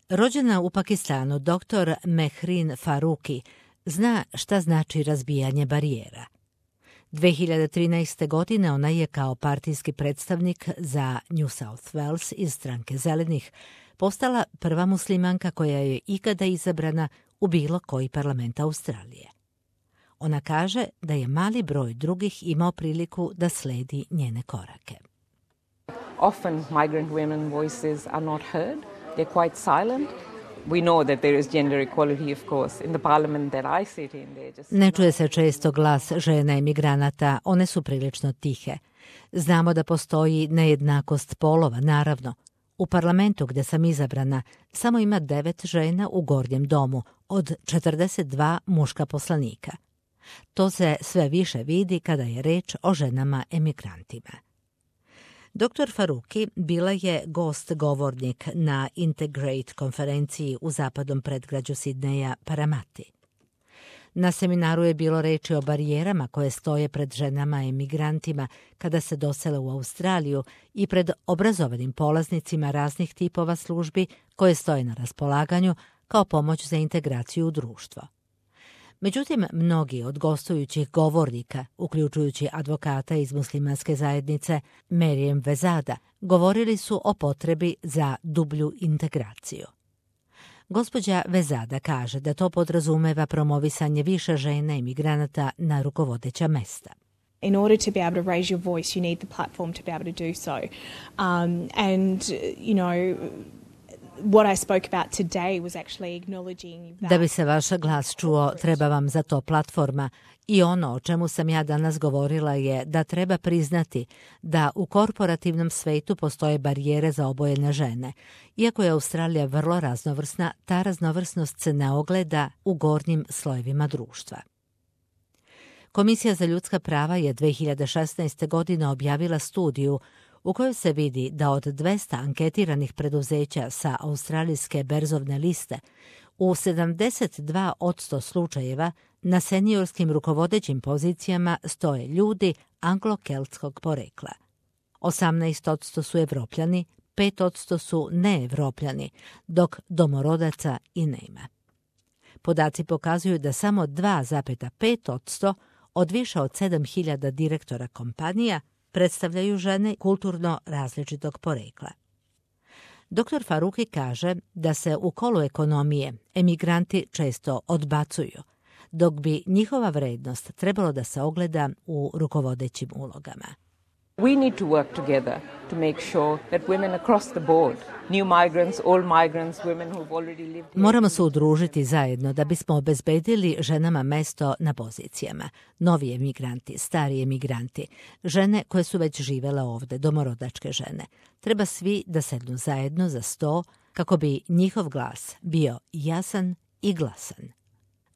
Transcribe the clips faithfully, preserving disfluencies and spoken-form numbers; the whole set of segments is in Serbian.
Rođena u Pakistanu, doktor Mehrin Faruqi zna šta znači razbijanje barijera. dve hiljade trinaeste. godine ona je kao partijski predstavnik za New South Wales iz stranke Zelenih postala prva muslimanka koja je ikada izabrana u bilo koji parlament Australije. Ona kaže da je mali broj drugih imao priliku da sledi njene korake. Often migrant women voices are not heard. They're quite silent. We know that there is gender equality, of course, in the parliament that I sit in. Just... Ne čuje se često glas žena emigranata, one su prilično tihe. Znamo da postoji nejednakost polova, naravno. U parlamentu gdje sam izabrana samo ima devet žena u gornjem domu od četrdeset dva muška poslanika. To se sve više vidi kada je reč o ženama emigrantima. doktor Faruqi bila je gost govornik na Integrate konferenciji u zapadnom predgrađu Sidneja Paramati. Na seminaru je bilo reči o barijerama koje stoje pred ženama emigrantima kada se dosele u Australiju i pred obrazovanim polaznicima raznih tipova službi koje stoje na raspolaganju kao pomoć za integraciju u društvo. Međutim, mnogi od gostujućih govornika, uključujući advokata iz muslimanske zajednice Merijem Vezada, govorili su o potrebi za dublju integraciju. Gospođa Vezada kaže da to podrazumeva promovisanje više žena imigranata na rukovodeća mesta. In order to be able to raise your voice, you need the platform to be able to do so. Um, and, you know, what I spoke about today was actually acknowledging that... Da bi se vaš glas čuo, treba vam za to platforma. I ono o čemu sam ja danas govorila je da treba priznati da u korporativnom svetu postoje barijere za obojene žene. Iako je Australija vrlo raznovrsna, ta raznovrsnost se ne ogleda u gornjim slojevima društva. Komisija za ljudska prava je dve hiljade šesnaeste. godine objavila studiju u kojoj se vidi da od dvesta anketiranih preduzeća sa australijske berzovne liste u sedamdeset dva posto slučajeva na seniorskim rukovodećim pozicijama stoje ljudi anglo-keltskog porekla. osamnaest posto su Evropljani, pet posto su neevropljani, dok domorodaca i nema. Podaci pokazuju da samo dva zarez pet posto od više od sedam hiljada direktora kompanija predstavljaju žene kulturno različitog porekla. doktor Faruqi kaže da se u kolu ekonomije emigranti često odbacuju, dok bi njihova vrednost trebalo da se ogleda u rukovodećim ulogama. We need to work together to make sure that women across the board, new migrants, old migrants, women who've already lived here... Moramo se udružiti zajedno da bismo obezbedili ženama mesto na pozicijama. Novi emigranti, stari emigranti, žene koje su već živele ovde, domorodačke žene. Treba svi da sednu zajedno za sto kako bi njihov glas bio jasan i glasan.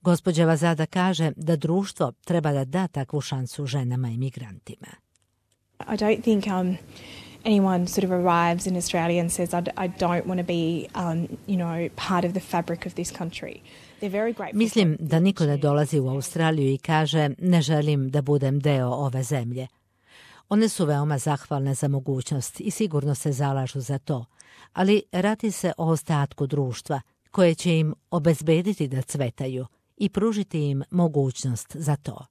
Gospođa Vazada kaže da društvo treba da da takvu šansu ženama emigrantima. I don't think um, anyone sort of arrives in Australia and says, I, d- I don't want to be, um, you know, part of the fabric of this country. They're very grateful. Mislim da niko ne dolazi u Australiju i kaže ne želim da budem deo ove zemlje. One su veoma zahvalne za mogućnost i sigurno se zalažu za to, ali radi se o ostatku društva koje će im obezbediti da cvetaju i pružiti im mogućnost za to.